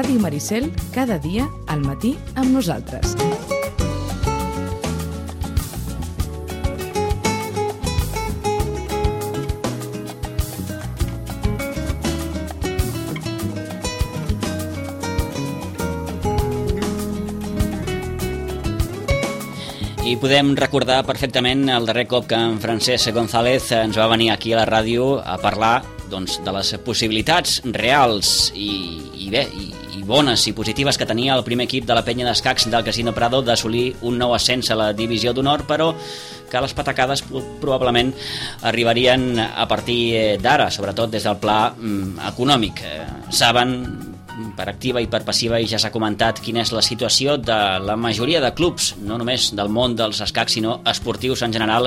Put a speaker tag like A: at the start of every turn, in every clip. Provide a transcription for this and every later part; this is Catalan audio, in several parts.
A: Ràdio Maricel, cada dia al matí amb nosaltres.
B: I podem recordar perfectament el darrer cop que en Francesc González ens va venir aquí a la ràdio a parlar de les possibilitats reals i bones i positives que tenia el primer equip de la penya d'escacs del Casino Prado d'assolir un nou ascens a la divisió d'honor, però que les patacades probablement arribarien a partir d'ara, sobretot des del pla econòmic. Saben per activa i per passiva, i ja s'ha comentat quina és la situació de la majoria de clubs, no només del món dels escacs, sinó esportius en general,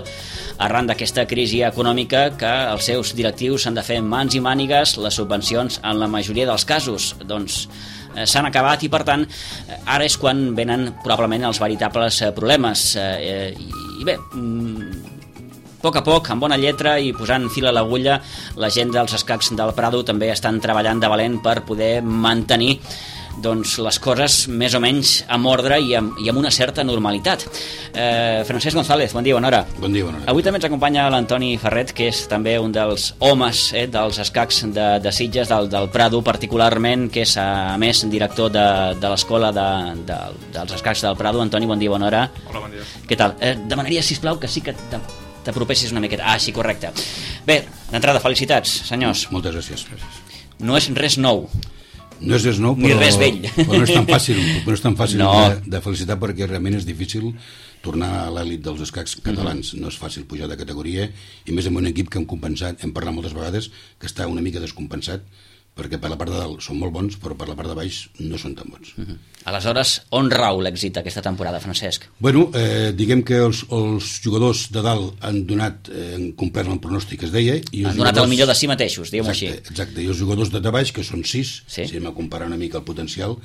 B: arran d'aquesta crisi econòmica que els seus directius han de fer mans i mànigues. Les subvencions, en la majoria dels casos, doncs s'han acabat, i per tant ara és quan venen probablement els veritables problemes. I bé, a poc, amb bona lletra i posant fil a l'agulla, la gent dels escacs del Prado també estan treballant de valent per poder mantenir les coses més o menys amb ordre i amb una certa normalitat. Francesc González, bon dia, bona hora.
C: Bon dia, bona hora.
B: Avui també ens acompanya l'Antoni Ferret, que és també un dels homes dels escacs de Sitges, del Prado particularment, que és a més director de l'escola dels escacs del Prado. Antoni, bon dia, bona hora.
D: Hola, bon dia.
B: Què tal? Demanaria, sisplau, que sí que t'apropessis una miqueta. Sí, correcte. Bé, d'entrada, felicitats, senyors.
C: Moltes gràcies.
B: No és res nou.
C: No és res nou,
B: ni res vell.
C: Però no és tan fàcil, de felicitar, perquè realment és difícil tornar a l'elit dels escacs catalans. No és fàcil pujar de categoria, i més amb un equip que hem parlat moltes vegades, que està una mica descompensat, perquè per la part de dalt són molt bons, però per la part de baix no són tan bons.
B: Aleshores, on rau l'èxit aquesta temporada, Francesc?
C: Bueno, diguem que els jugadors de dalt han complert el pronòstic que es deia.
B: Han donat el millor de si mateixos, diguem-ho així.
C: Exacte, i els jugadors de baix, que són 6, si hem de comparar una mica el potencial,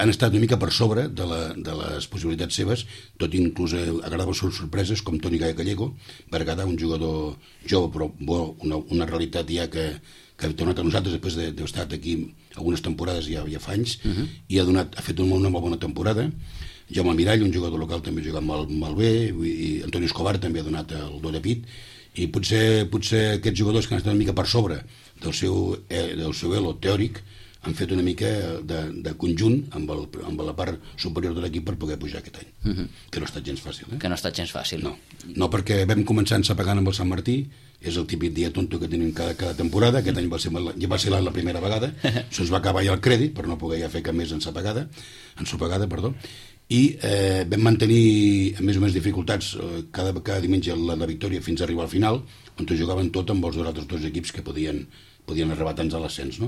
C: han estat una mica per sobre de les possibilitats seves, tot inclús agradaven sorpreses com Toni Gallego, Bergada, un jugador jove però bo, una realitat ja que ha tornat a nosaltres després d'haver estat aquí algunes temporades ja fa anys, i ha fet una molt bona temporada. Jaume Mirall, un jugador local, també ha jugat molt bé, i Antoni Escobar també ha donat el do de pit, i potser aquests jugadors que han estat una mica per sobre del seu elo teòric han fet una mica de conjunt amb la part superior de l'equip per poder pujar aquest any, que no ha estat gens fàcil.
B: Que no ha estat gens fàcil.
C: No, perquè vam començar ensapegant amb el Sant Martí, és el típic dia tonto que tenim cada temporada. Aquest any va ser la primera vegada, se'ns va acabar ja el crèdit per no poder ja fer cap més ensopegada, i vam mantenir amb més o menys dificultats cada diumenge la victòria fins a arribar al final, on jugaven tot amb els altres dos equips que podien arribar tants a l'ascens.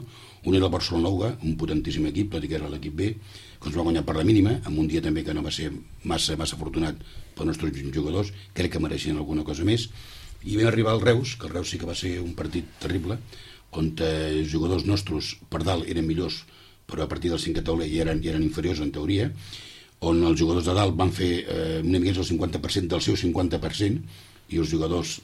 C: Un era el Barcelona Uga, un potentíssim equip, tot i que era l'equip B, que ens va guanyar per la mínima, amb un dia també que no va ser massa afortunat pels nostres jugadors. Crec que mereixien alguna cosa més. I vam arribar al Reus, que el Reus sí que va ser un partit terrible, on els jugadors nostres per dalt eren millors, però a partir del 5 a taula ja eren inferiors en teoria, on els jugadors de dalt van fer una mica el 50% del seu 50%, i els altres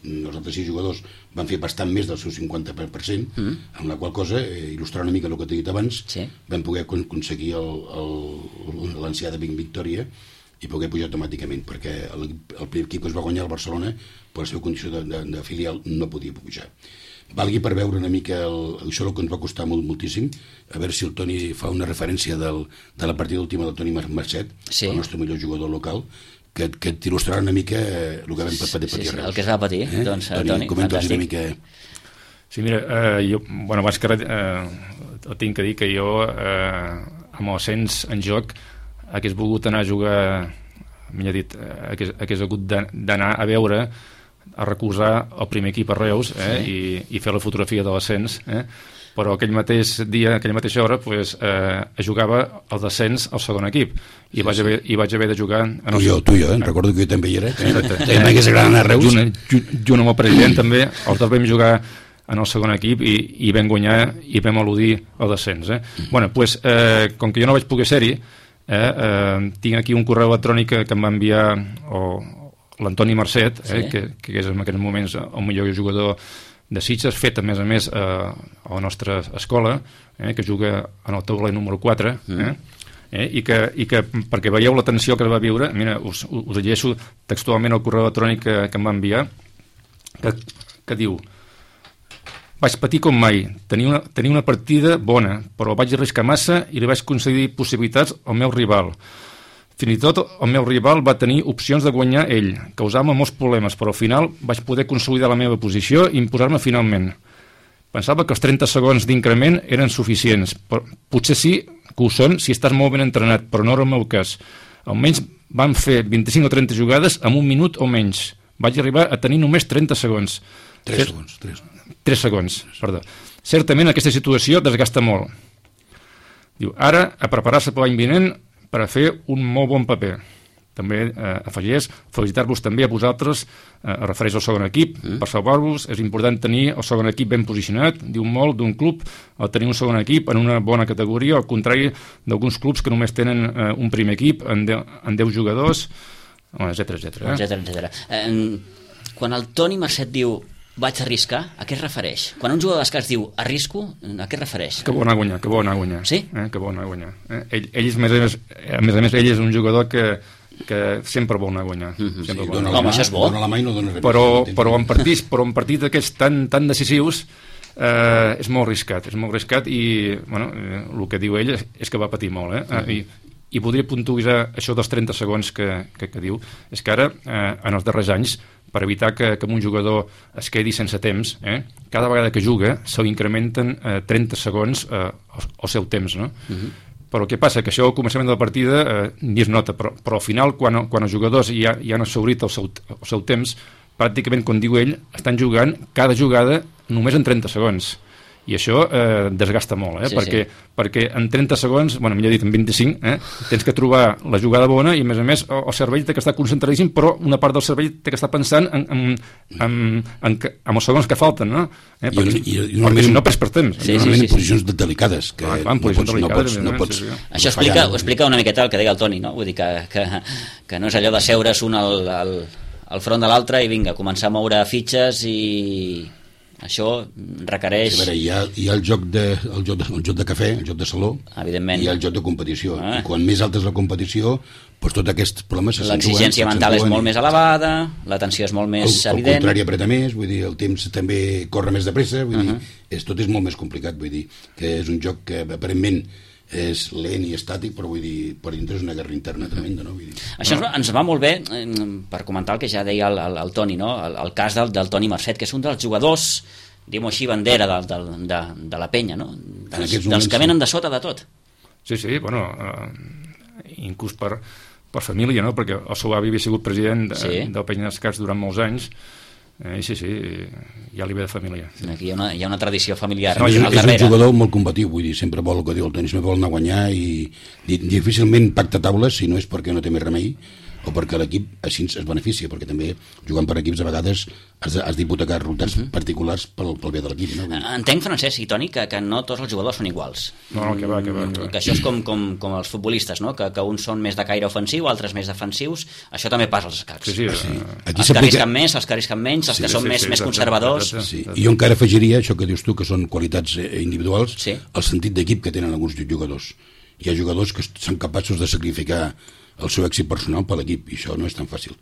C: 6 jugadors van fer bastant més del seu 50%, amb la qual cosa, il·lustrar una mica el que t'he dit abans, vam poder aconseguir l'ancià de victòria i poder pujar automàticament, perquè l'equip que es va guanyar el Barcelona, per la seva condició de filial, no podia pujar. Valgui per veure una mica això que ens va costar moltíssim, a veure si el Toni fa una referència de la partida última del Toni Marcet, el nostre millor jugador local, que t'il·lustrarà una mica el que vam patir a Reus.
B: El que es va patir, doncs, Toni,
C: comenta'ls una mica.
D: Sí, mira, jo, abans que res, tinc que dir que jo, amb el cens en joc, hagués volgut anar a jugar, millor dit, hagués hagut d'anar a veure, a recolzar el primer equip a Reus, i fer la fotografia de l'ascens, però aquell mateix dia, aquella mateixa hora, jugava el descens al segon equip, i vaig haver de jugar...
C: Tu i jo, recordo que jo també hi era, també m'hagués agradat anar a Reus.
D: Junt amb el president també, els dos vam jugar en el segon equip i vam guanyar i vam eludir el descens. Com que jo no vaig poder ser-hi, tinc aquí un correu electrònic que em va enviar l'Antoni Marcet, que és en aquests moments el millor jugador de Sitges, fet a més a la nostra escola, que juga en el tauler número 4, i que perquè veieu la tensió que es va viure, mira, us llegeixo textualment el correu electrònic que em va enviar, que diu: vaig patir com mai, tenia una partida bona, però vaig arriscar massa i li vaig concedir possibilitats al meu rival. Fins i tot el meu rival va tenir opcions de guanyar ell, causant-me molts problemes, però al final vaig poder consolidar la meva posició i imposar-me finalment. Pensava que els 30 segons d'increment eren suficients, però potser sí que ho són si estàs molt ben entrenat, però no era el meu cas. Almenys van fer 25 o 30 jugades en un minut o menys. Vaig arribar a tenir només 30 segons.
C: 3
D: segons, perdó. Certament aquesta situació desgasta molt. Diu, ara a preparar-se per l'any vinent per a fer un molt bon paper. També afegeix felicitar-vos també a vosaltres, refereix al segon equip, per salvar-vos. És important tenir el segon equip ben posicionat, diu molt d'un club, el tenir un segon equip en una bona categoria, al contrari d'alguns clubs que només tenen un primer equip en 10 jugadors, etc.
B: Quan el Toni Marcet diu vaig arriscar, a què es refereix? Quan un jugador d'escacs diu arrisco, a què es refereix?
D: Que vol anar a guanyar.
B: Sí?
D: Que vol anar a guanyar. Ell és, a més, ell és un jugador que sempre vol anar a guanyar.
B: Home, això és bo.
C: Dona la mà i no dona res.
D: Però en partits d'aquests tan decisius és molt arriscat i el que diu ell és que va patir molt. I podria puntualitzar això dels 30 segons que diu. És que ara, en els darrers anys, per evitar que un jugador es quedi sense temps, cada vegada que juga se li incrementen 30 segons el seu temps, no? Però què passa? Que això al començament de la partida ni es nota, però al final, quan els jugadors ja han assaurit el seu temps, pràcticament, com diu ell, estan jugant cada jugada només en 30 segons. I això desgasta molt, perquè en 30 segons, millor dit, en 25, tens que trobar la jugada bona i, a més, el cervell té que estar concentradíssim, però una part del cervell té que estar pensant en els segons que falten, no? Perquè si no perds per temps.
C: Normalment en posicions delicades.
B: No pots... Això explica una miqueta el que deia el Toni, no? Vull dir que no és allò de seure's un al front de l'altre i vinga, començar a moure fitxes i... Això requereix...
C: Sí, hi ha el joc de cafè, el joc de saló,
B: evidentment,
C: i el joc de competició. I quan més alta és la competició, doncs tots aquests problemes
B: l'exigència mental és molt més elevada, la tensió és molt més evident.
C: El contrari apreta més, vull dir, el temps també corre més de pressa, vull dir, tot és molt més complicat, vull dir, que és un joc que aparentment és lent i estàtic, però vull dir, per dintre és una guerra interna tremenda, no? Vull dir,
B: això ens va molt bé per comentar el que ja deia el Toni, no? El cas del Toni Marcet, que és un dels jugadors, diguem-ho així, bandera de la penya, no? Dels que venen de sota de tot.
D: Sí, inclús per família, no? Perquè el seu avi havia sigut president del Penya d'Escacs durant molts anys. Sí, ja li ve de família.
B: Aquí hi ha una tradició familiar.
C: És un jugador molt combatiu, vull dir, sempre vol el que diu el Toni, sempre vol anar a guanyar i difícilment pacta taules, si no és perquè no té més remei o perquè l'equip així es beneficia, perquè també jugant per equips a vegades has d'hipotecar resultats particulars pel bé de l'equip, no?
B: Entenc, Francesc i Toni, que no tots els jugadors són iguals.
D: No, que va.
B: Que això és com els futbolistes, no? Que uns són més de caire ofensiu, altres més defensius. Això també passa als escacs.
D: Sí.
B: Els que arrisquen més, els que arrisquen menys, els que són més conservadors.
C: Sí. I jo encara afegiria això que dius tu, que són qualitats individuals, el sentit d'equip que tenen alguns jugadors. Hi ha jugadors que són capaços de sacrificar el seu èxit personal per l'equip, i això no és tan fàcil.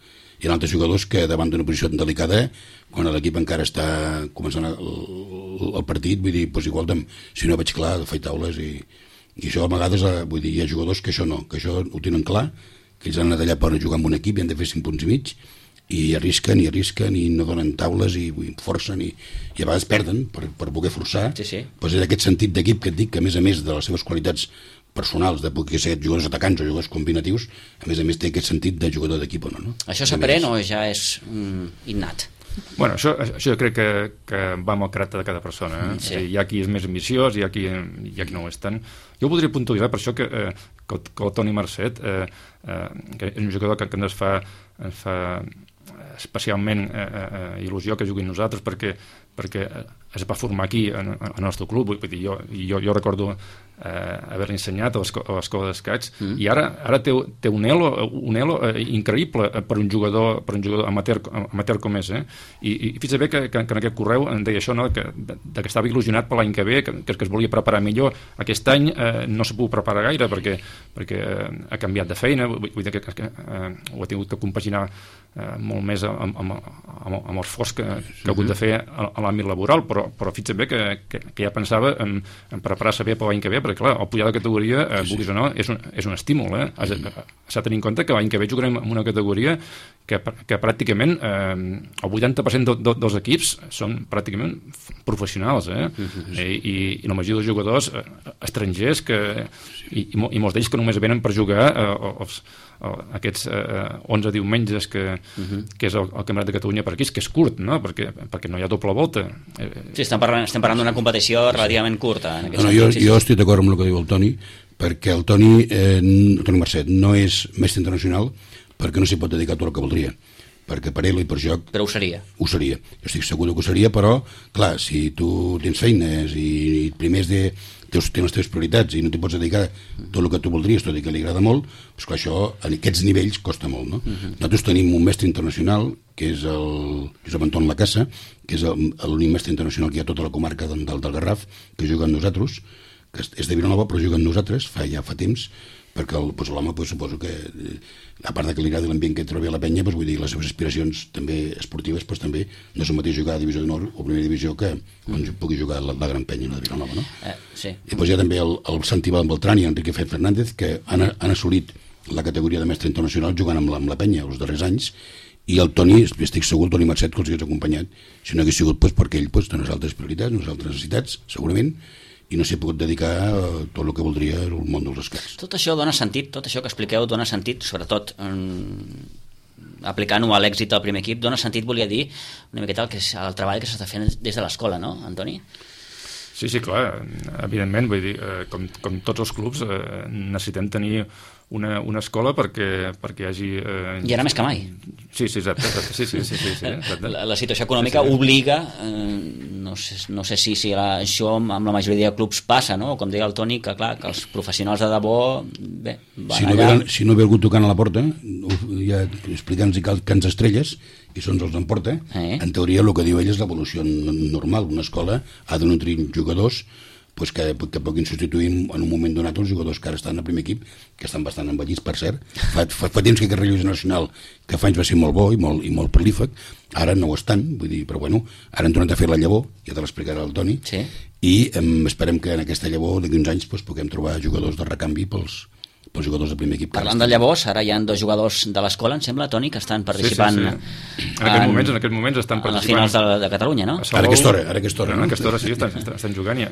C: Hi ha altres jugadors que davant d'una posició tan delicada, quan l'equip encara està començant el partit, vull dir, doncs igual si no veig clar, faig taules i això a vegades, vull dir, hi ha jugadors que això no, que això ho tenen clar, que ells han anat allà per jugar amb un equip i han de fer 5 punts i mig, i arrisquen i no donen taules i forcen i a vegades perden per voler forçar. Doncs és aquest sentit d'equip que et dic, que a més de les seves qualitats personals, de poder ser jugadors atacants o jugadors combinatius, a més té aquest sentit de jugador d'equip o no?
B: Això s'aprèn o ja és innat?
D: Bueno, això jo crec que va amb el caràcter de cada persona. Hi ha qui és més ambiciós, hi ha qui no ho és tant. Jo voldria puntualitzar per això que el Toni Marcet, que és un jugador que ens fa especialment il·lusió que juguin nosaltres, perquè es va formar aquí, al nostre club. Jo recordo haver-li ensenyat a l'escola d'escacs, i ara té un elo increïble per un jugador amateur com és, i fins bé que en aquest correu em deia això, no? que estava il·lusionat per l'any que ve, que es volia preparar millor. Aquest any no s'ha pogut preparar gaire perquè ha canviat de feina, vull dir que ho ha tingut que compaginar molt més amb l'esforç que ha hagut de fer a l'àmbit laboral, però fins bé que ja pensava en preparar-se bé per l'any que ve, perquè clar, el pujar de categoria, vulguis o no, és un estímul. S'ha de tenir en compte que l'any que ve jugarem en una categoria que pràcticament el 80% dels equips són pràcticament professionals, i la majoria dels jugadors estrangers i molts d'ells que només venen per jugar aquests 11 diumenges que és el Campionat de Catalunya per aquí, que és curt, no? perquè no hi ha doble volta.
B: Sí, estem parlant d'una competició relativament curta.
C: Jo estic d'acord amb el que diu el Toni, perquè el Toni Marcet no és mestre internacional perquè no s'hi pot dedicar tot el que voldria, perquè per ell i per joc...
B: Però ho seria.
C: Ho seria. Jo estic segur que ho seria, però, clar, si tu tens feines i primer tens les teves prioritats i no t'hi pots dedicar tot el que tu voldries, tot i que li agrada molt, doncs clar, això, a aquests nivells, costa molt, no? Nosaltres tenim un mestre internacional, que és el Josep Anton Lacassa, que és l'únic mestre internacional que hi ha a tota la comarca del Garraf, que juga amb nosaltres, que és de Vilanova, però juga amb nosaltres, ja fa temps, perquè l'home suposo que, a part que li agrada l'ambient que trobi a la penya, vull dir, les seves aspiracions també esportives, també no és el mateix jugar a Divisió d'Honor o Primera Divisió que quan pugui jugar a la Gran Penya, la de Vilanova, no?
B: Sí.
C: I hi ha també el Santi Beltrán i Enrique Fernández, que han assolit la categoria de mestre internacional jugant amb la penya els darrers anys, i el Toni, estic segur, el Toni Marcet, que els hagués acompanyat, si no hagués sigut perquè ell té unes altres prioritats, unes altres necessitats, segurament, i no s'hi ha pogut dedicar a tot el que voldria al món dels escacs.
B: Tot això dona sentit, tot això que expliqueu dona sentit, sobretot aplicant-ho a l'èxit del primer equip, dona sentit, volia dir, una miqueta el treball que s'està fent des de l'escola, no, Antoni?
D: Sí, clar, evidentment, vull dir, com tots els clubs necessitem tenir una escola perquè hi hagi...
B: I ara més que mai.
D: Sí, exacte.
B: La situació econòmica obliga, no sé si això amb la majoria de clubs passa, no? Com deia el Toni, que clar, que els professionals de debò van allà...
C: Si no ve algú tocant a la porta, ja explicant-nos que ens estrelles, i això ens emporta, en teoria el que diu ell és l'evolució normal. Una escola ha de nutrir jugadors que puguin substituir en un moment donat els jugadors que ara estan al primer equip, que estan bastant envellits, per cert. Fa temps que aquest relleu generacional, que fa anys va ser molt bo i molt prolífic, ara no ho estan, vull dir, però bueno, ara han tornat a fer la llavor, ja te l'explicarà el Toni, i esperem que en aquesta llavor d'aquí uns anys puguem trobar jugadors de recanvi pels jugadors del primer equip.
B: Parlant de llavors, ara hi ha 2 jugadors de l'escola, em sembla, Toni, que estan participant
D: en aquests moments estan participant
B: a les finals de Catalunya, no?
C: Ara aquesta hora,
D: no? Aquesta hora sí, estan jugant,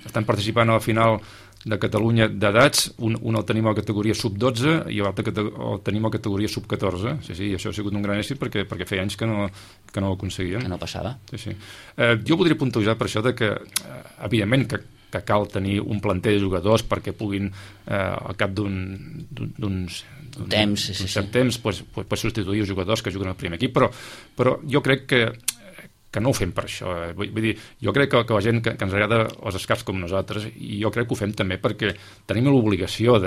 D: estan participant a la final de Catalunya d'edats, un el tenim a la categoria sub-12 i l'altre el tenim a la categoria sub-14. Sí, això ha sigut un gran èxit perquè feia anys que no ho aconseguíem.
B: Que no passava.
D: Sí. Jo voldria puntualitzar per això que, evidentment, que cal tenir un planter de jugadors perquè puguin, al cap d'un cert temps, substituir els jugadors que juguen al primer equip, però jo crec que no ho fem per això. Vull dir, jo crec que la gent que ens agrada els escacs com nosaltres, i jo crec que ho fem també perquè tenim l'obligació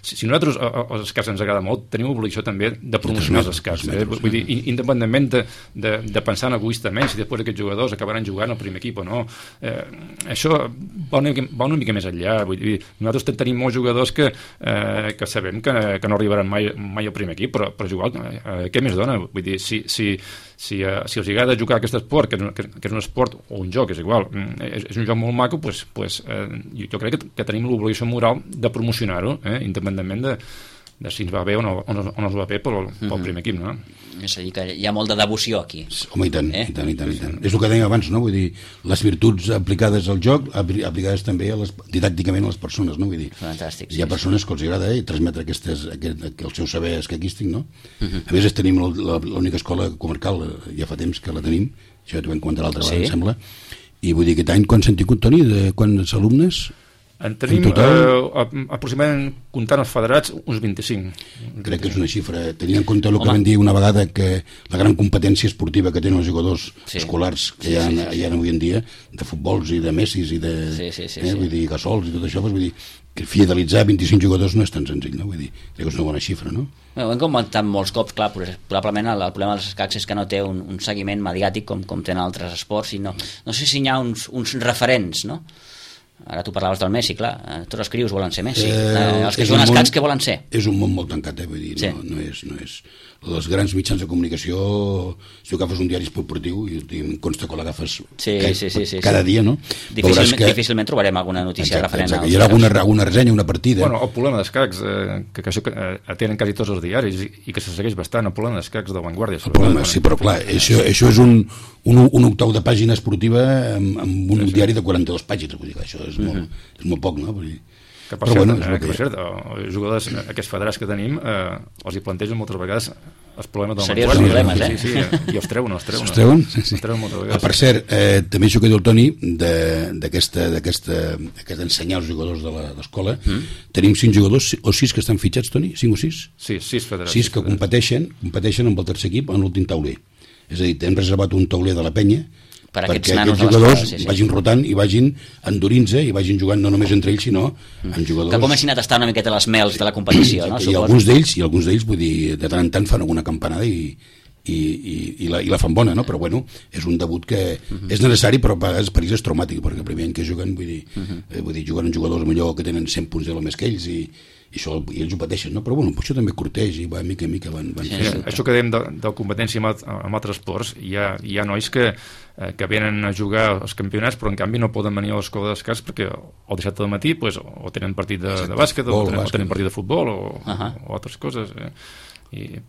D: si nosaltres els escacs ens agrada molt, tenim l'obligació també de promocionar els escacs. Vull dir, independentment de pensar egoistament si després aquests jugadors acabaran jugant al primer equip o no. Això va una mica més enllà. Vull dir, nosaltres tenim molts jugadors que sabem que no arribaran mai al primer equip, però jugar, què més dona? Vull dir, si els agrada jugar aquest esport, que és un esport o un joc, és igual, és un joc molt maco, jo crec que tenim l'obligació moral de promocionar-ho, independentment de si ens va bé o no ens va bé pel primer equip, no?
B: És a dir, que hi ha molt de devoció aquí.
C: Home, i tant. És el que dèiem abans, no? Vull dir, les virtuts aplicades al joc, aplicades també didàcticament a les persones, no? Vull dir,
B: fantàstic.
C: Hi ha persones que els agrada transmetre el seu saber escaquístic, no? A més, tenim l'única escola comarcal, ja fa temps que la tenim, això ja t'ho vam comentar l'altra vegada, em sembla, i vull dir, aquest any, quants han tingut, Toni, de quants alumnes?
D: En tenim aproximadament, comptant els federats, uns 25.
C: Crec que és una xifra, tenint en compte el que vam dir una vegada, que la gran competència esportiva que tenen els jugadors escolars que hi ha avui en dia, de futbols i de Messis i de vull dir, Gasols i tot això, vull dir, que fidelitzar 25 jugadors no és tan senzill, no? Vull dir, crec que és una bona xifra, no?
B: Ho hem comentat molts cops, clar, probablement el problema dels escacs és que no té un seguiment mediàtic com tenen altres esports, i no sé si hi ha uns referents, no? Ara tu parlaves del Messi, clar, tots els crios volen ser Messi, els que juguen escacs, què volen ser?
C: És un món molt tancat, vull dir, no és els grans mitjans de comunicació, si agafes un diari esportiu i em consta que l'agafes cada dia, no?
B: Difícilment trobarem alguna notícia referent als
C: hi ha alguna ressenya, una partida.
D: Bueno, el problema d'escacs, que això tenen quasi tots els diaris i que se segueix bastant, el problema d'escacs de Vanguardia.
C: Sí, però clar, això és un octau de pàgina esportiva amb un diari de 42 pàgines, vull dir que això és molt poc, no?
D: Que per cert, els jugadors, aquests federats que tenim, els hi plantegen moltes vegades els problemes del
B: Vanguardia.
D: Sí, i els treuen.
C: Els treuen? Sí.
D: Moltes vegades.
C: Per cert, també això que diu el Toni, d'aquesta ensenyar als jugadors de l'escola, tenim 5 jugadors o 6 que estan fitxats, Toni? 5 o 6?
D: Sí, 6 federats.
C: 6 que competeixen amb el tercer equip en l'últim tauler. És a dir, hem reservat un tauler de la penya perquè aquests jugadors vagin rotant i vagin endurint-se i vagin jugant no només entre ells sinó en jugadors
B: que comencin a tastar una miqueta les mels de la competició, no?
C: I alguns d'ells vull dir, de tant en tant fan alguna campanada i la fan bona, no? Però bueno, és un debut que és necessari, però a vegades per ells és traumàtic, perquè el primer any que juguen vull dir, juguen jugadors millor que tenen 100 punts de més que ells i ells ho pateixen, no? Però bueno, això també corteix i mica en mica van
D: això que dèiem de competència amb altres esports, hi ha nois que venen a jugar als campionats però en canvi no poden venir a l'escola d'escacs perquè el dissabte del matí o tenen partit de bàsquet o tenen partit de futbol o altres coses
B: I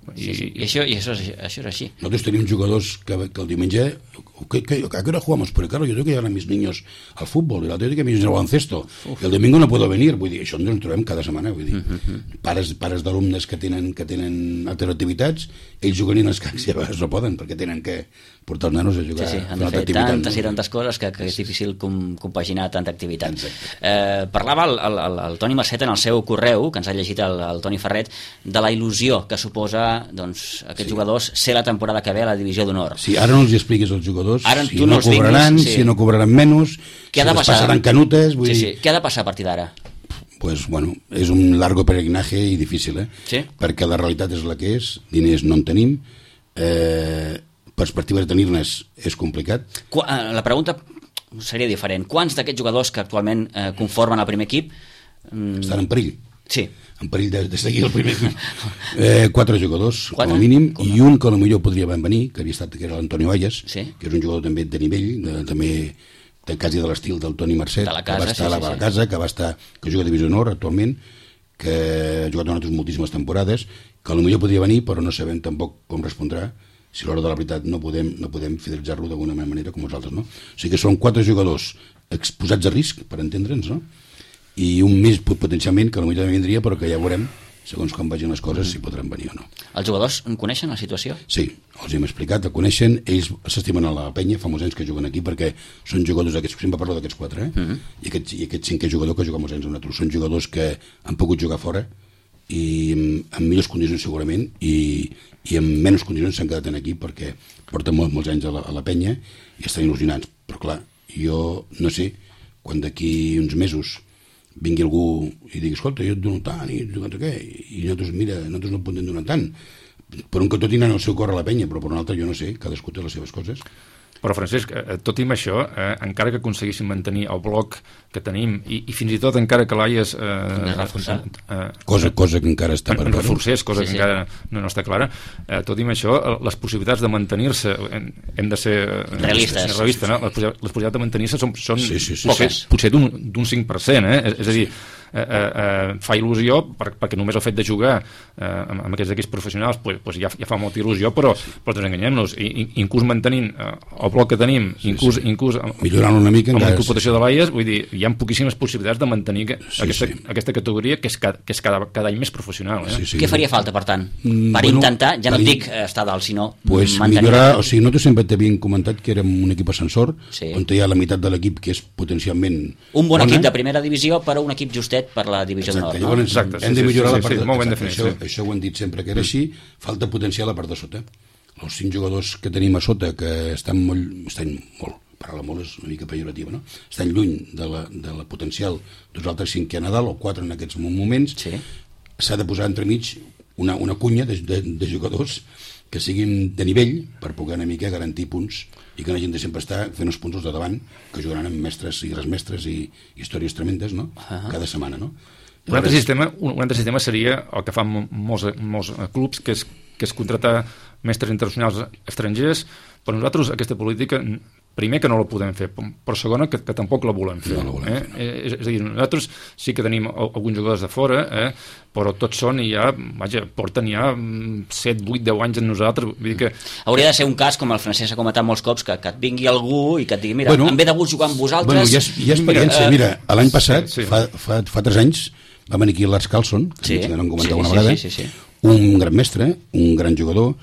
B: això és així.
C: Nosotros tenemos jugadores que el diumenge ¿a qué hora jugamos? Porque claro, yo tengo que llevar a mis niños al fútbol y la tengo que mis niños al baloncesto y el domingo no puedo venir, vull dir, això ens ho trobem cada setmana, vull dir, pares d'alumnes que tenen altres activitats, ells juguen en escacs i a vegades no poden perquè tenen que portar els nanos a jugar
B: han de fer tantes i tantes coses que és difícil compaginar tanta activitat. Parlava el Toni Marcet en el seu correu, que ens ha llegit el Toni Ferret, de la il·lusió que suposa aquests jugadors ser la temporada que ve a la divisió d'honor.
C: Sí, ara no els expliquis als jugadors si no cobraran, si no cobraran menys, si les passaran canutes.
B: Què ha de passar a partir d'ara?
C: Pues bueno, és un largo peregrinaje i difícil, perquè la realitat és la que és, diners no en tenim, perspectives de tenir-ne és complicat.
B: La pregunta seria diferent. Quants d'aquests jugadors que actualment conformen el primer equip
C: estan en perill?
B: Sí.
C: En perill de seguir el primer equip. 4 jugadors, com a mínim, i un que potser podria venir, que era l'Antonio Ayas, que és un jugador també de nivell, també quasi de l'estil del Toni Marcet, que va estar a la casa, que juga a Divisió Honor actualment, que ha jugat durant moltíssimes temporades, que potser podria venir, però no sabem tampoc com respondrà, si a l'hora de la veritat no podem fidelitzar-lo d'alguna manera com els altres, no? O sigui que són 4 jugadors exposats a risc, per entendre'ns, no? I un més potencialment que potser també vindria, però que ja veurem, segons com vagin les coses, si podran venir o no.
B: Els jugadors coneixen la situació?
C: Sí, els hem explicat, el coneixen, ells s'estimen a la penya, fa molts anys que juguen aquí, perquè són jugadors d'aquests, sempre parlo d'aquests 4, i aquest 5è jugador que juga molts anys amb nosaltres, són jugadors que han pogut jugar fora, i en millors condicions segurament, i en menys condicions s'han quedat aquí, perquè porten molts anys a la penya, i estan il·lusionats, però clar, jo no sé, quan d'aquí uns mesos vingui algú i digui, escolta, jo et dono tant i nosaltres, mira, nosaltres no podem donar tant, per un que tot tenen el seu cor a la penya, però per un altre jo no sé, cadascú té les seves coses.
D: Però Francesc, tot i amb això, encara que aconseguíssim mantenir el bloc que tenim i fins i tot encara que l'Aies
C: cosa que encara està per
D: reforcés, cosa que encara no està clara, tot i amb això les possibilitats de mantenir-se hem de ser
B: realistes,
D: no? Les possibilitats de mantenir-se són poques, potser d'un 5%, és a dir, fa il·lusió perquè només el fet de jugar amb aquests equips professionals pues ja fa molta il·lusió, però no enganyem-nos, inclús mantenint el bloc que tenim, inclús
C: millorant una mica
D: amb la incorporació de l'AIES, vull dir, hi ha poquíssimes possibilitats de mantenir aquesta categoria que és cada any més professional.
B: Què faria falta, per tant, per intentar, ja no et dic estar dalt, sinó mantenir...
C: Millorar, o sigui, nosaltres sempre t'havíem comentat que érem un equip ascensor, on hi ha la meitat de l'equip que és potencialment
B: un bon equip de primera divisió per a un equip justet per la divisió de nord.
C: Llavors hem de millorar la part de sota. Això ho hem dit sempre que era així, falta potenciar la part de sota. Els 5 jugadors que tenim a sota, que estan molt, parlar molt és una mica pejorativa, no? Estan lluny de la potencial dels altres 5 que hi ha a dalt, o 4 en aquests moments. S'ha de posar entremig una cunya de jugadors que siguin de nivell per poder una mica garantir punts i que no hagin de sempre estar fent els punts de davant, que jugaran amb mestres i resmestres i històries tremendes, no? Cada setmana, no?
D: Un altre sistema seria el que fan molts clubs, que és contratar mestres internacionals estrangers. Per nosaltres aquesta política, primer que no la podem fer, però segona que tampoc la volem fer. És a dir, nosaltres sí que tenim alguns jugadors de fora, però tots són i ja, porten ja 7, 8, 10 anys en nosaltres. Vull dir que...
B: Hauria de ser un cas, com el Francesc ha comentat molts cops, que et vingui algú i que et digui, mira, em ve de gust jugar amb vosaltres...
C: Hi ha experiència. Mira, l'any passat, fa 3 anys, va venir aquí Lars Carlson, que no en comentava una vegada, un gran mestre, un gran jugador,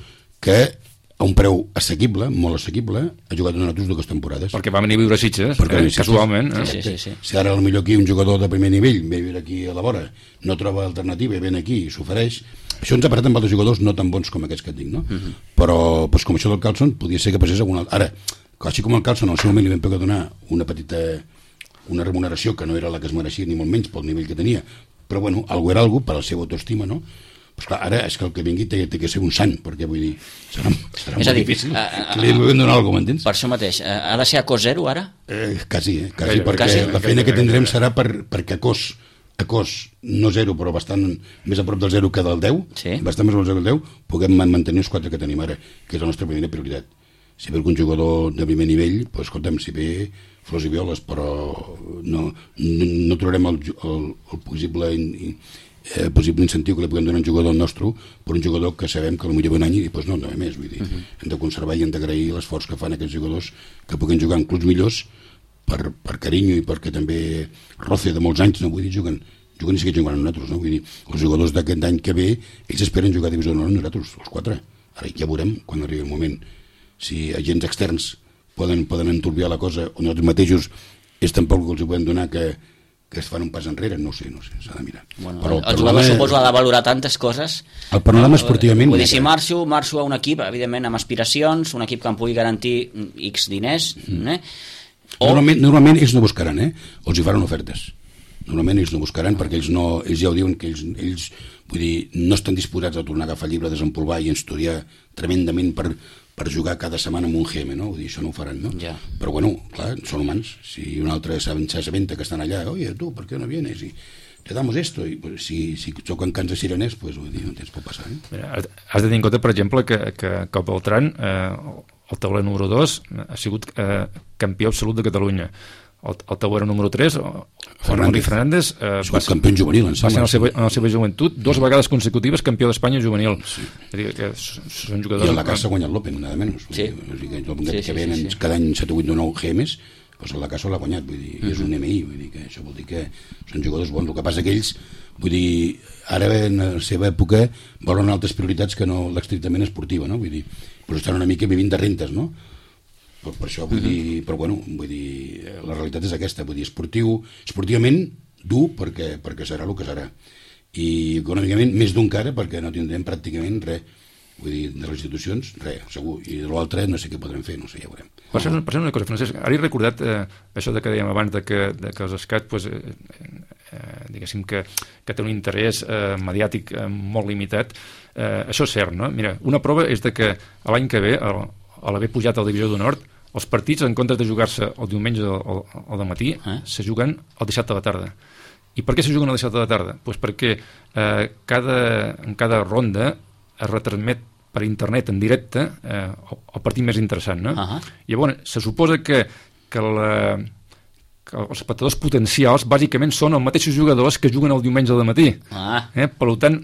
C: que a un preu assequible, molt assequible, ha jugat amb nosaltres 2 temporades.
D: Perquè va venir a viure a Sitges, casualment.
C: Si ara potser aquí un jugador de primer nivell ve a viure aquí a la vora, no troba alternativa i ven aquí i s'ofereix, això ens ha parat amb altres jugadors no tan bons com aquests que et dic, no? Però com això del Carlson podia ser que passés alguna altra. Ara, així com el Carlson al seu moment li vam poder donar una remuneració que no era la que es mereixia ni molt menys pel nivell que tenia, però bueno, algú era algú per la seva autoestima, no? Pues clar, ara és que el que vingui té que ser un sant, perquè vull dir, serà molt difícil que li puguem donar alguna cosa, m'entens?
B: Per això mateix, ha de ser a cost zero ara?
C: Quasi, perquè la feina que tindrem serà perquè a cost no zero, però bastant més a prop del 0 que del 10, bastant més a prop del 0 que del 10, puguem mantenir els 4 que tenim ara, que és la nostra primera prioritat. Si ve algun jugador de primer nivell, doncs escolta'm, si ve flors i violes, però no trobarem el possible incentiu que li puguem donar a un jugador nostre per un jugador que sabem que potser ve un any i doncs no més, vull dir, hem de conservar i hem d'agrair l'esforç que fan aquests jugadors que puguin jugar en clubs millors per carinyo i perquè també roce de molts anys, no vull dir, juguen i sí que juguen amb nosaltres, no? Vull dir, els jugadors d'aquest any que ve, ells esperen jugar a divisió d'honor amb nosaltres, els 4, ara ja veurem quan arribi el moment si agents externs poden enturbiar la cosa o nosaltres mateixos és tampoc que els podem donar que es fan un pas enrere, no sé, s'ha de mirar.
B: Bueno, el jugador suposo ha de valorar tantes coses.
C: El panorama esportivament...
B: Vull dir, si marxo a un equip, evidentment, amb aspiracions, un equip que em pugui garantir X diners,
C: Normalment ells no buscaran, els hi faran ofertes. Normalment ells no buscaran perquè ells ja ho diuen que ells vull dir, no estan disposats a tornar a agafar el llibre, a desempolvar i estudiar tremendament per jugar cada setmana amb un GM, no? Vull dir, això no ho faran, no? Però bueno, clar, són humans. Si un altre s'assabenta que estan allà, oye, tu, ¿por qué no vienes? Y te damos esto. I pues, si xoquen cants de sireners, pues, vull dir, no tens pot passar.
D: Mira, has de tenir en compte, per exemple, que el Beltrán, el tauler número 2, ha sigut campió absolut de Catalunya. El tauler número 3, Fernández,
C: va ser campió juvenil,
D: va ser en la seva joventut 2 vegades consecutives campió d'Espanya juvenil. És a dir, que són jugadors...
C: I en la casa ha guanyat l'Open, nada menys. Que venen cada any 7 o 8 o 9 GMs, doncs la casa l'ha guanyat, vull dir, és un MI, vull dir que això vol dir que són jugadors bons. El que passa que ells, vull dir, ara en la seva època volen altres prioritats que no l'estrictament esportiva, no? Vull dir, però estan una mica vivint de rentes, no? Per això vull dir, però bueno, vull dir, la realitat és aquesta, vull dir, esportivament dur perquè serà el que serà, i econòmicament més d'un cara perquè no tindrem pràcticament res, vull dir, de les institucions res, segur, i de l'altre no sé què podrem fer, no sé, ja veurem.
D: Per ser una cosa, Francesc, ara he recordat això que dèiem abans de que els escats pues, diguéssim que té un interès mediàtic molt limitat, això és cert, no? Mira, una prova és de que l'any que ve, a l'haver pujat a la divisió d'honor, els partits, en comptes de jugar-se el diumenge o el matí, se juguen el dissabte a la tarda. I per què se juguen el dissabte a la tarda? Pues perquè en cada ronda es retransmet per internet en directe el partit més interessant, no? Llavors, se suposa que que els espectadors potencials bàsicament són els mateixos jugadors que juguen el diumenge al matí. Per tant,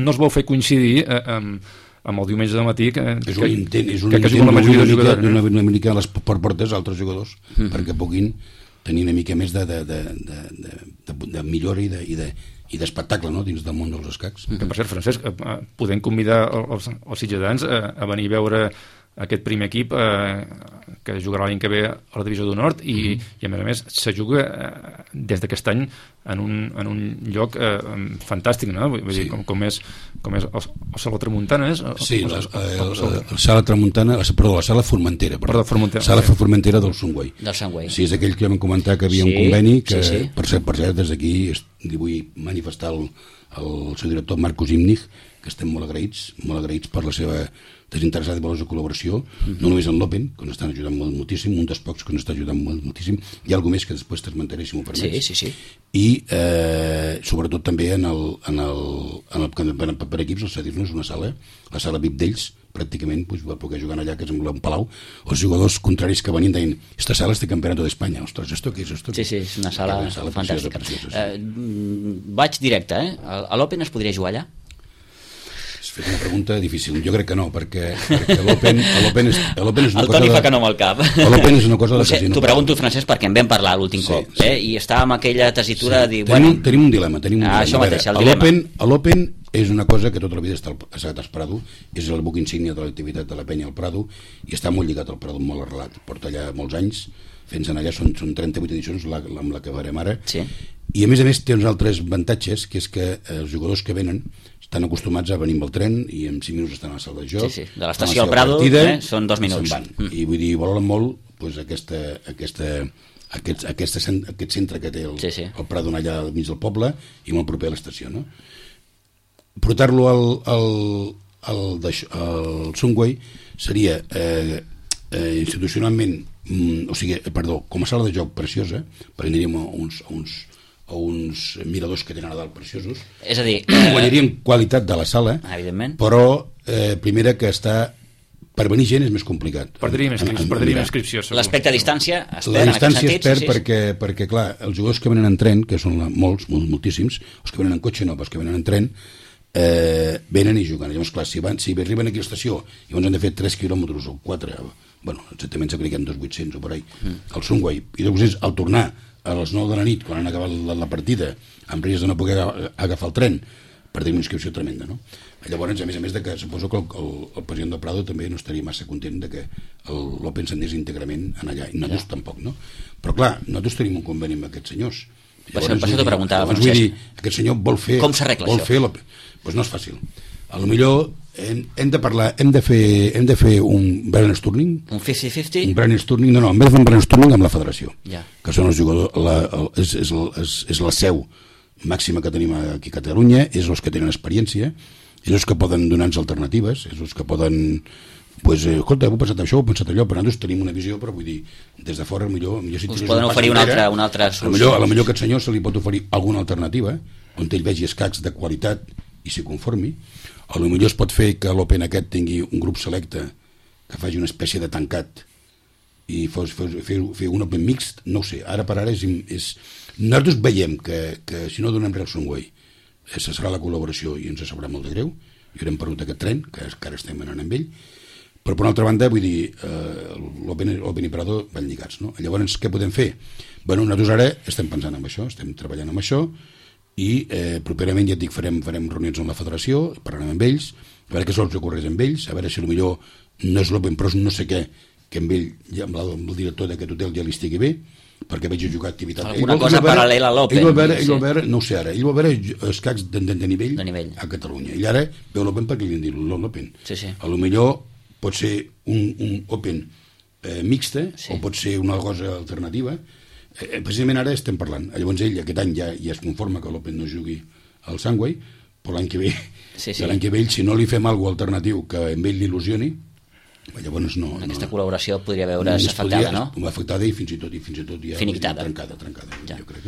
D: no es vol fer coincidir amb el diumenge de matí que juguen la majoria de jugadors.
C: Una mica a les portes altres jugadors perquè puguin tenir una mica més de millora i d'espectacle, no?, dins del món dels escacs.
D: Que, per cert, Francesc, podem convidar els sitgetans a venir a veure aquest primer equip que jugarà l'any que ve a la Divisió d'Honor i a més se juga des d'aquest any en un lloc fantàstic, no? Vull dir, com és el Sala Tramuntana, és?
C: Sí, la Sala Tramuntana, perdó, la Sala Formentera, Sala Formentera del Sungüei. Sí, és aquell que vam comentar que havia un conveni que, per cert, des d'aquí li vull manifestar al seu director Marcos Imnig que estem molt agraïts per la seva desinteressada i valorosa col·laboració, no només en l'Open, que ens estan ajudant moltíssim, un dels pocs que ens està ajudant moltíssim, hi ha alguna més que després t'esmentaré, si m'ho permets.
B: Sí.
C: I sobretot també en el per equips, el cedir-nos una sala, la sala VIP d'ells, pràcticament va poder jugar allà, que és un palau, els jugadors contraris que venien deien, esta sala és de Campeonato d'Espanya, ostres, ¿esto qué es esto?
B: Sí, és una sala fantàstica. Vaig directe, a l'Open es podria jugar allà?
C: Has fet una pregunta difícil. Jo crec que no, perquè l'Open és una cosa...
B: El Toni fa que no amb el cap.
C: L'Open és una cosa de casino.
B: T'ho pregunto, Francesc, perquè en vam parlar l'últim cop, i estava amb aquella tessitura de dir...
C: Tenim un dilema.
B: Això mateix, el dilema.
C: L'Open és una cosa que tota la vida ha estat al Prado, és el buc insígnia de l'activitat de la penya al Prado, i està molt lligat al Prado, molt arrelat. Porta allà molts anys, fent-se'n allà, són 38 edicions amb la que farem ara, i a més té uns altres avantatges, que és que els jugadors que venen estan acostumats a venir amb el tren i en 5 minuts estan a la sala de joc.
B: Sí. De l'estació al Prado són 2 minuts.
C: I vull dir, valoren molt aquest centre que té el Prado allà al mig del poble i molt proper a l'estació, no? Portar-lo al Sungüei seria institucionalment, com a sala de joc preciosa, perquè aniríem a uns miradors que tenen a dalt preciosos.
B: És a dir...
C: Guanyaríem qualitat de la sala,
B: evidentment,
C: però primera que per venir gent és més complicat.
D: Perdríem inscripció.
B: L'aspecte a distància es perd.
C: La distància es perd perquè, clar, els jugadors que venen en tren, que són moltíssims, els que venen en cotxe no, però els que venen en tren, venen i juguen. Llavors, clar, si arriben aquí a l'estació i llavors han de fer 3 quilòmetres o 4, exactament s'ha criticat 2.800 o per ahí, al Sungüei, i després al tornar a les 9 de la nit, quan han acabat la partida, amb risc de no poder agafar el tren, perdem una inscripció tremenda, no? Llavors, a més de que suposo que el president del Prado també no estaria massa content de que l'Open s'anés íntegrament allà, i nosaltres tampoc, no? Però clar, nosaltres tenim un conveni amb aquests senyors.
B: Per això t'ho preguntava,
C: Francesc. Vull dir, aquest senyor vol fer...
B: Com s'arregla això?
C: Doncs no és fàcil. A lo millor hem de parlar, hem de fer un brainstorming.
B: Un 50-50?
C: Un brainstorming, no, en vez de fer un brainstorming amb la federació, que són els jugadors, és la seu màxima que tenim aquí a Catalunya, és els que tenen experiència, és els que poden donar-nos alternatives, és els que poden... escolta, heu pensat això, heu pensat allò, però nosaltres tenim una visió, però vull dir, des de fora millor si
B: us poden oferir una altra
C: solució. A lo millor aquest senyor se li pot oferir alguna alternativa on ell vegi escacs de qualitat i s'hi conformi. A lo millor es pot fer que l'Open aquest tingui un grup selecte que faci una espècie de tancat i fer un Open mixt, no ho sé, ara per ara nosaltres veiem que si no donem res al Sungüei serà la col·laboració i ens sabrà molt de greu i haurem perdut aquest tren que ara estem anant amb ell. Però per una altra banda, vull dir, l'Open i Prado van lligats, no? Llavors, què podem fer? Nosaltres ara estem pensant en això, estem treballant amb això i properament, ja et dic, farem reunions amb la federació, parlarem amb ells, a veure què sols ocorreix amb ells, a veure si potser no és l'Open, però és no sé què, que amb ell, amb el director d'aquest hotel ja li estigui bé, perquè veig jugar activitat.
B: Alguna cosa paral·lela a l'Open.
C: Ell va veure, no ho sé ara, ell va veure escacs de nivell a Catalunya. I ara veu l'Open perquè li han dit l'Open. A lo millor pot ser un Open mixta o pot ser una cosa alternativa. Precisament ara estem parlant. Llavors ell aquest any ja es conforma que l'Open no jugui al Sungüei, però l'any que ve si no li fem alguna alternatiu que amb ell l'il·lusioni, llavors no...
B: Aquesta col·laboració podria veure's afectada, no?
C: Afectada i fins i tot ja
B: finiquitada.
C: Trencada, jo crec.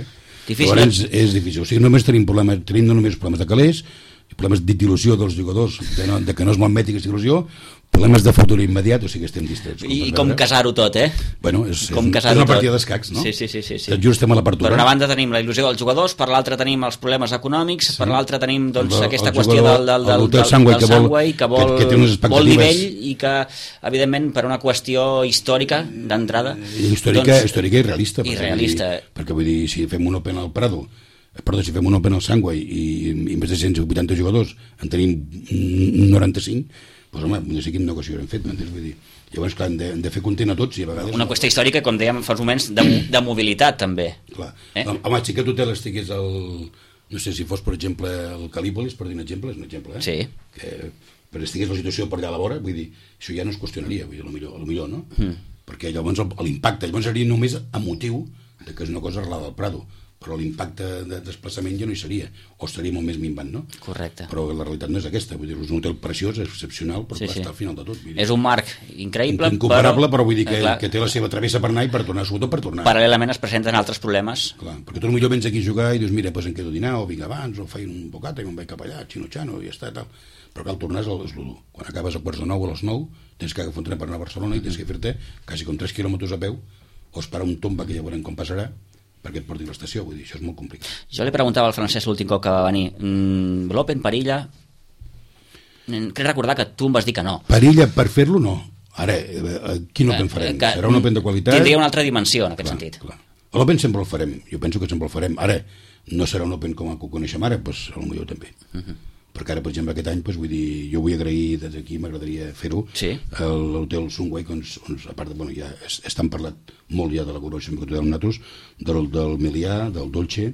B: Difícil.
C: Llavors és difícil. O sigui, només tenim no només problemes de calés, problemes d'il·lusió dels jugadors, de que no es malmeti aquesta il·lusió, problemes de futur immediat, o sigui que estem distrets.
B: I com casar-ho tot,
C: Bueno, és una partida d'escacs, no?
B: Sí.
C: Tot just estem a l'apertura.
B: Per una banda tenim la il·lusió dels jugadors, per l'altra tenim els problemes econòmics, per l'altra tenim aquesta qüestió del Sangway, que vol nivell i que, evidentment, per una qüestió històrica d'entrada...
C: Històrica i realista.
B: Perquè
C: vull dir, si fem un Open al Prado, si fem un Open al Sangway i més de 180 jugadors en tenim 95, doncs home, no sé quina negoci haurem fet, m'entens? Vull dir, llavors, clar, hem de fer content a tots i a vegades...
B: Una qüestió històrica, com dèiem fa uns moments, de mobilitat, també.
C: Clar. Home, si aquest hotel estigués no sé si fos, per exemple, el Calípolis, per dir un exemple, és un exemple,
B: Sí.
C: Però estigués la situació per allà a la vora, vull dir, això ja no es qüestionaria, vull dir, a lo millor, no? Perquè llavors l'impacte, llavors seria només emotiu que és una cosa arrelada al Prado, però l'impacte de desplaçament ja no hi seria, o estaria molt més minvant, no?
B: Correcte.
C: Però la realitat no és aquesta, vull dir, és un hotel preciós, és excepcional, però està al final de tot.
B: És un marc increïble,
C: incomparable, però vull dir que té la seva travessa per anar i per tornar, sobretot per tornar.
B: Paral·lelament es presenten altres problemes.
C: Clar, perquè tu potser vens aquí a jugar i dius, mira, doncs em quedo a dinar, o vinc abans, o faig un bocata i me'n vaig cap allà, xino-xano, i ja està, tal. Però cal tornar és l'1. Quan acabes a quarts de 9 o a les 9, tens que agafar un tren per anar a Barcelona i tens que fer-te quasi com 3 quilòmetres a peu, o esperar un tomba que ja veurem com passarà, perquè et porti a l'estació, vull dir, això és molt complicat.
B: Jo li preguntava al Francesc l'últim cop que va venir, l'Open Perilla, crec recordar que tu em vas dir que no.
C: Perilla, per fer-lo, no. Ara, quin Open farem? Serà un Open de qualitat?
B: Tindria una altra dimensió, en aquest sentit.
C: L'Open sempre el farem, jo penso que sempre el farem. Ara, no serà un Open com el que ho coneixem ara, doncs potser també. Perquè ara, per exemple, aquest any, vull dir, jo vull agrair des d'aquí, m'agradaria fer-ho, l'hotel Sangway, on a part de, ja estan parlat molt ja de la col·laboració que tenim nosaltres, del Melià, del Dolce,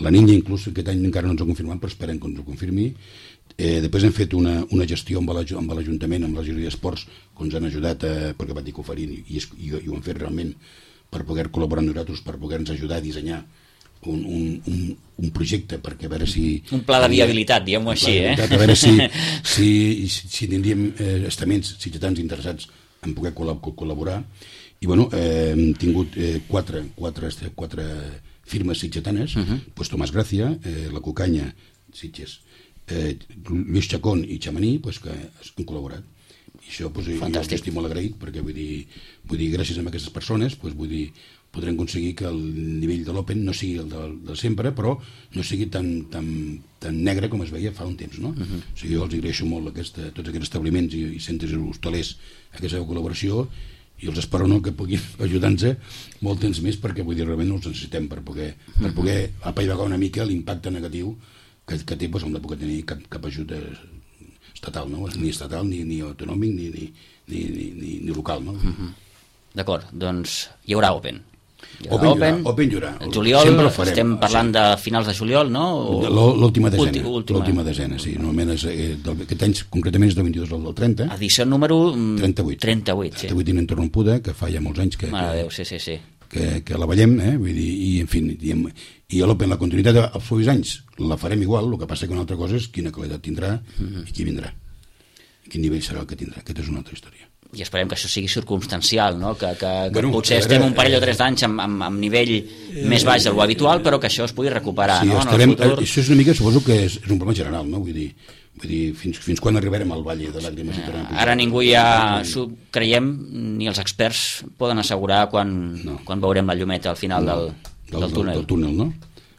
C: la Niña inclús aquest any encara no ens ho confirmat, però esperem que ens ho confirmi. Després hem fet una gestió amb l'Ajuntament, amb la Gestió d'Esports, que ens han ajudat, perquè van dir que ho farien, i ho han fet realment per poder col·laborar amb nosaltres, per poder-nos ajudar a dissenyar un projecte, perquè a veure si...
B: Un pla de viabilitat, diguem-ho així,
C: A veure si tindríem estaments sitgetans interessats en poder col·laborar. I bueno, hem tingut quatre firmes sitgetanes, pues Tomàs Gràcia, la Cucanya, Sitges, Lluís Chacón i Xamaní, pues, que han col·laborat. I això pues, jo estic molt agraït, perquè vull dir gràcies a aquestes persones, pues, vull dir, podrem aconseguir que el nivell de l'Open no sigui el de sempre, però no sigui tan negre com es veia fa un temps, no? O sigui, jo els agraeixo molt tots aquests establiments i centres hostalers aquesta col·laboració, i els espero que puguin ajudar-nos molt temps més, perquè vull dir, realment no els necessitem per poder apaivagar una mica l'impacte negatiu que té, doncs, on no puc tenir cap ajut estatal, no? Ni estatal, ni autonòmic, ni local, no?
B: D'acord, doncs hi haurà Open.
C: Open hi haurà.
B: Juliol, estem parlant de finals de juliol, no?
C: L'última desena, sí. Normalment aquest any concretament és del 22 al 30.
B: Edició número
C: 38, ininterrompuda, que fa ja molts anys que la veiem, vull dir, i en fi, i l'Open, la continuïtat dels propers anys la farem igual, el que passa que una altra cosa és quina qualitat tindrà i qui vindrà, quin nivell serà el que tindrà. Aquesta és una altra història.
B: I esperem que això sigui circumstancial, no? Que potser estem un parell o 3 d'anys amb nivell més baix del habitual, però que això es pugui recuperar, no?
C: Això és una mica, suposo que és un problema general, no? Vull dir, fins quan arribarem al Valle de Làgrimes?
B: Ara ningú ja creiem, ni els experts poden assegurar quan veurem la llumeta al final del túnel.
C: Del túnel, no?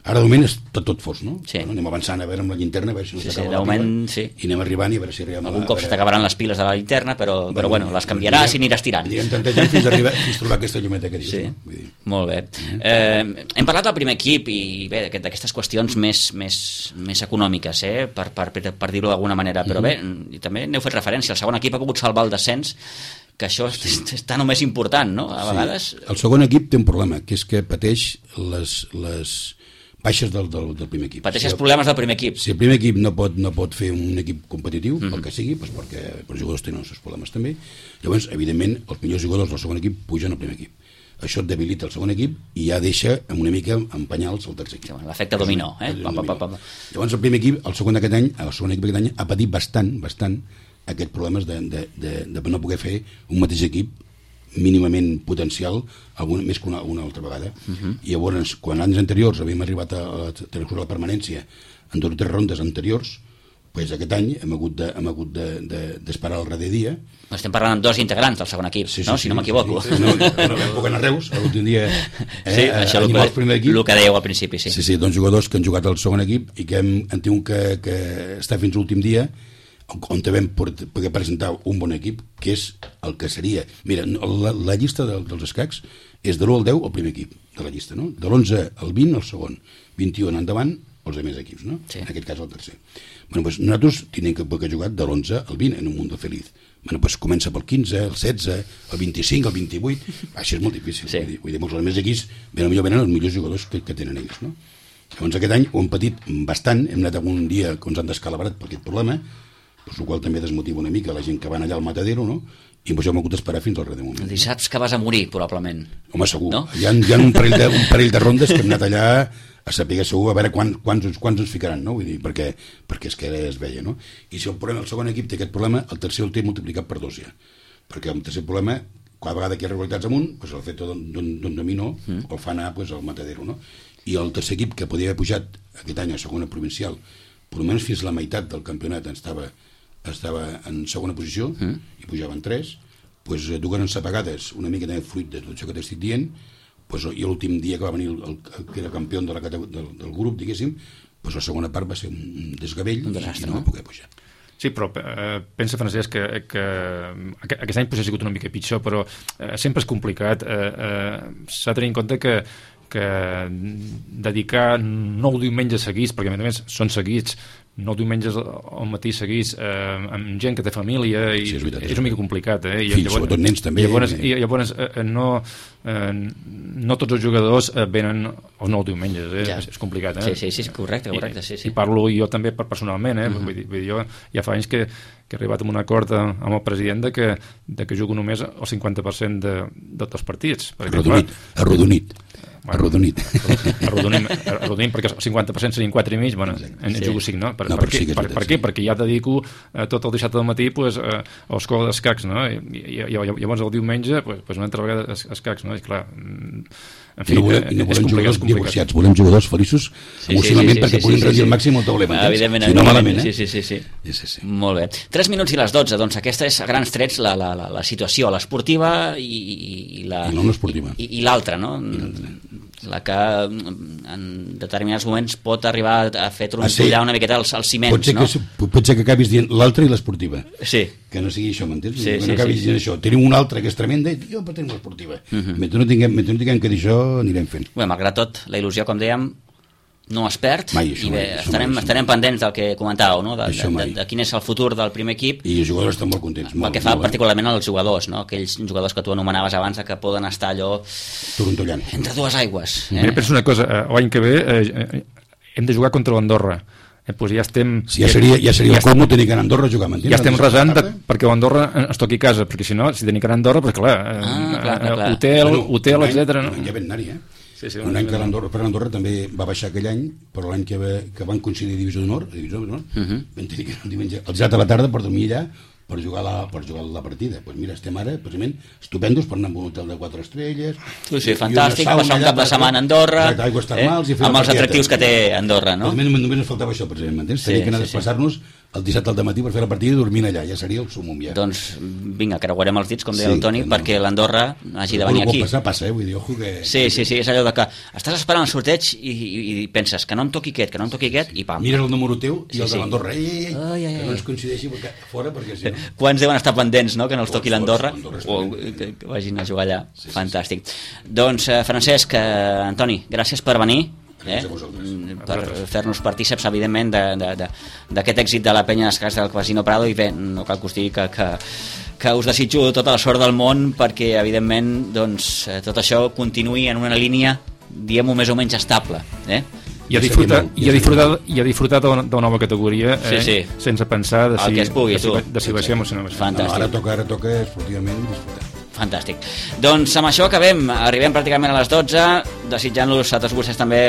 C: Ara, de moment, és tot fos, no?
B: Sí.
C: Anem avançant a veure amb la llinterna, a veure si no s'acaba
B: la pila,
C: i anem arribant i a veure si arribem...
B: Algun cop se t'acabaran les piles de la llinterna, però bueno, les canviaràs i aniràs tirant.
C: Anirem tanta gent fins a trobar aquesta llumeta que dius.
B: Sí, molt bé. Hem parlat del primer equip i bé, d'aquestes qüestions més econòmiques, per dir-ho d'alguna manera, però bé, i també n'heu fet referència, el segon equip ha pogut salvar el descens, que això està només important, no? A vegades...
C: El segon equip té un problema, que és que pateix les baixes del primer equip.
B: Pateix els problemes del primer equip.
C: Si el primer equip no pot fer un equip competitiu, pel que sigui, doncs perquè els jugadors tenen els seus problemes també, llavors, evidentment, els millors jugadors del segon equip pugen al primer equip. Això et debilita el segon equip i ja deixa una mica en penyals el tercer equip.
B: L'efecte dominó.
C: Llavors, el primer equip, el segon equip aquest any, ha patit bastant aquests problemes de no poder fer un mateix equip mínimament potencial més que una altra vegada. I llavors, quan anys anteriors havíem arribat a la permanència en 2 o 3 rondes anteriors, Pues aquest any hem hagut d'esperar el darrer dia.
B: Estem parlant amb 2 integrants del segon equip, no? Si no m'equivoco.
C: No vam poder anar a Reus, l'últim dia
B: això el que dèieu al principi, sí.
C: Sí, 2 jugadors que han jugat al segon equip i que hem tingut que estar fins l'últim dia on vam poder presentar un bon equip, que és el que seria... Mira, la llista dels escacs és de l'1 al 10 el primer equip de la llista, no? De l'11 al 20 el segon, 21 endavant els altres equips, no? Sí. En aquest cas el tercer. Bueno, pues nosaltres tenim que jugar de l'11 al 20 en un mundo feliz. Bueno, pues comença pel 15, el 16, el 25, el 28... Això és molt difícil. Sí. Vull dir, molts altres equips potser venen els millors jugadors que tenen ells, no? Llavors aquest any ho hem patit bastant, hem anat algun dia que ens han descalabrat per aquest problema, el qual també desmotiva una mica la gent que van allà al matadero, no? I hem hagut d'esperar fins al darrer moment.
B: I saps que vas a morir, probablement.
C: Home, segur. No? Hi ha un parell de rondes que hem anat allà a saber segur, a veure quants ens ficaran, no? Vull dir, perquè és que es veia, no? I si el segon equip té aquest problema, el tercer el té multiplicat per 2 ja. Perquè el tercer problema, cada vegada que hi ha regularitats amunt, pues el fet d'un dominó el fa anar al matadero, no? I el tercer equip que podia haver pujat aquest any a segona provincial, per almenys fins la meitat del campionat estava en segona posició i pujaven 3, doncs dugueren ensapegades una mica de fruit de tot això que t'estic dient, doncs, i l'últim dia que va venir el que era campió del grup, diguéssim, doncs la segona part va ser un desgavell i no va poder pujar.
D: Sí, però pensa, Francesc, que aquest any potser ha sigut una mica pitjor, però sempre és complicat. S'ha de tenir en compte que dedicar 9 diumenges seguits, perquè a més són seguits, 9 diumenges al matí seguits amb gent que té família i sí, és una mica complicat,
C: Fills, sobretot nens també.
D: Llavors no tots els jugadors venen els 9 diumenges, ja. És complicat.
B: Sí, correcte. Sí.
D: I parlo jo també personalment, vull dir, jo ja fa anys que he arribat a un acord amb el president de que jugo només el 50% dels partits.
C: Arrodonit. Arrodonim, perquè el 50% serien 4 i mig, bueno, en jugo 5, no? Per què? Perquè ja dedico tot el dissabte del matí a l'escola d'escacs, no? I llavors el diumenge una altra vegada escacs, no? I clar, en fi, no volem jugadors divorciats, volem jugadors feliços emocionalment perquè puguin rendir al màxim el taulell, si no malament,
B: Sí. Molt bé. 3 minuts i les 12, doncs aquesta és a grans trets la situació, l'esportiva i l'altra, no? La que en determinats moments pot arribar a fer trontollar una miqueta els ciments, no?
C: Pot ser que acabis dient l'altra i l'esportiva.
B: Sí.
C: Que no sigui això, m'entens? Que no acabis dient això. Tenim una altra que és tremenda i jo tenim l'esportiva. Mentre no tinguem que dir això, anirem fent.
B: Bé, malgrat tot, la il·lusió, com dèiem, no es perd, i bé, estarem pendents del que comentàveu, no? De quin és el futur del primer equip.
C: I els jugadors estan molt contents.
B: Pel que fa particularment als jugadors, no? Aquells jugadors que tu anomenaves abans que poden estar allò
C: torontollant
B: entre dues aigües.
D: Mira, penso una cosa, l'any que ve hem de jugar contra l'Andorra. Pues ja estem...
C: Ja seria el colmo tenir que anar a Andorra a jugar, m'entens?
D: Ja estem resant perquè l'Andorra ens toqui casa, perquè si no, si tenim que anar a Andorra, perquè clar, hotel, etcètera.
C: Ja vam anar-hi, un any que l'Andorra també va baixar aquell any, però l'any que van coincidir Divisió d'Honor, vam tenir que anar el diumenge al 7 de la tarda per dormir allà per jugar la partida. Doncs mira, estem ara precisament estupendos per anar a un hotel de 4 estrelles.
B: Sí, fantàstic, passar un cap de setmana a Andorra,
C: aigües termals i fer
B: amb els atractius que té Andorra, no?
C: Només ens faltava això, precisament, m'entens? Tenia que anar a desplaçar-nos el dissabte al matí per fer la partida i dormint allà, ja seria el sumum ja.
B: Doncs vinga, creuarem els dits, com deia el Toni, perquè l'Andorra hagi de venir aquí.
C: Passa, vull dir, ojo que...
B: Sí, és allò de que estàs esperant el sorteig i penses que no em toqui aquest, i pam.
C: Mires el número teu i el de l'Andorra, que no ens coincideixi fora, perquè si no...
B: Quants deuen estar pendents, no?, que no els toqui l'Andorra o que vagin a jugar allà. Fantàstic. Doncs, Francesc, Antoni, gràcies per venir, per fer-nos partíceps, evidentment, d'aquest èxit de la penya d'escacs del Casino Prado, i bé, no cal que us digui que us desitjo tota la sort del món perquè, evidentment, doncs, tot això continuï en una línia, diguem-ho, més o menys estable,
D: i a disfrutar de la nova categoria, sense pensar de si baixem o si no baixem.
C: Ara toca esportivament disfrutar.
B: Fantàstic. Doncs amb això acabem, arribem pràcticament a les 12, desitjant-los a tots vostès també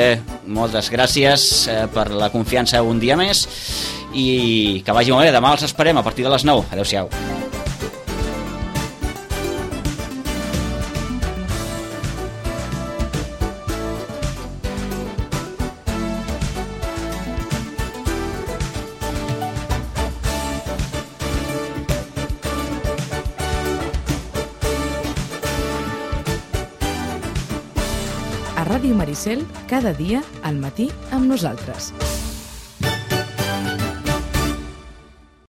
B: moltes gràcies per la confiança un dia més, i que vagi molt bé. Demà els esperem a partir de les 9. Adéu-siau.
A: Ràdio Maricel, cada dia al matí amb nosaltres.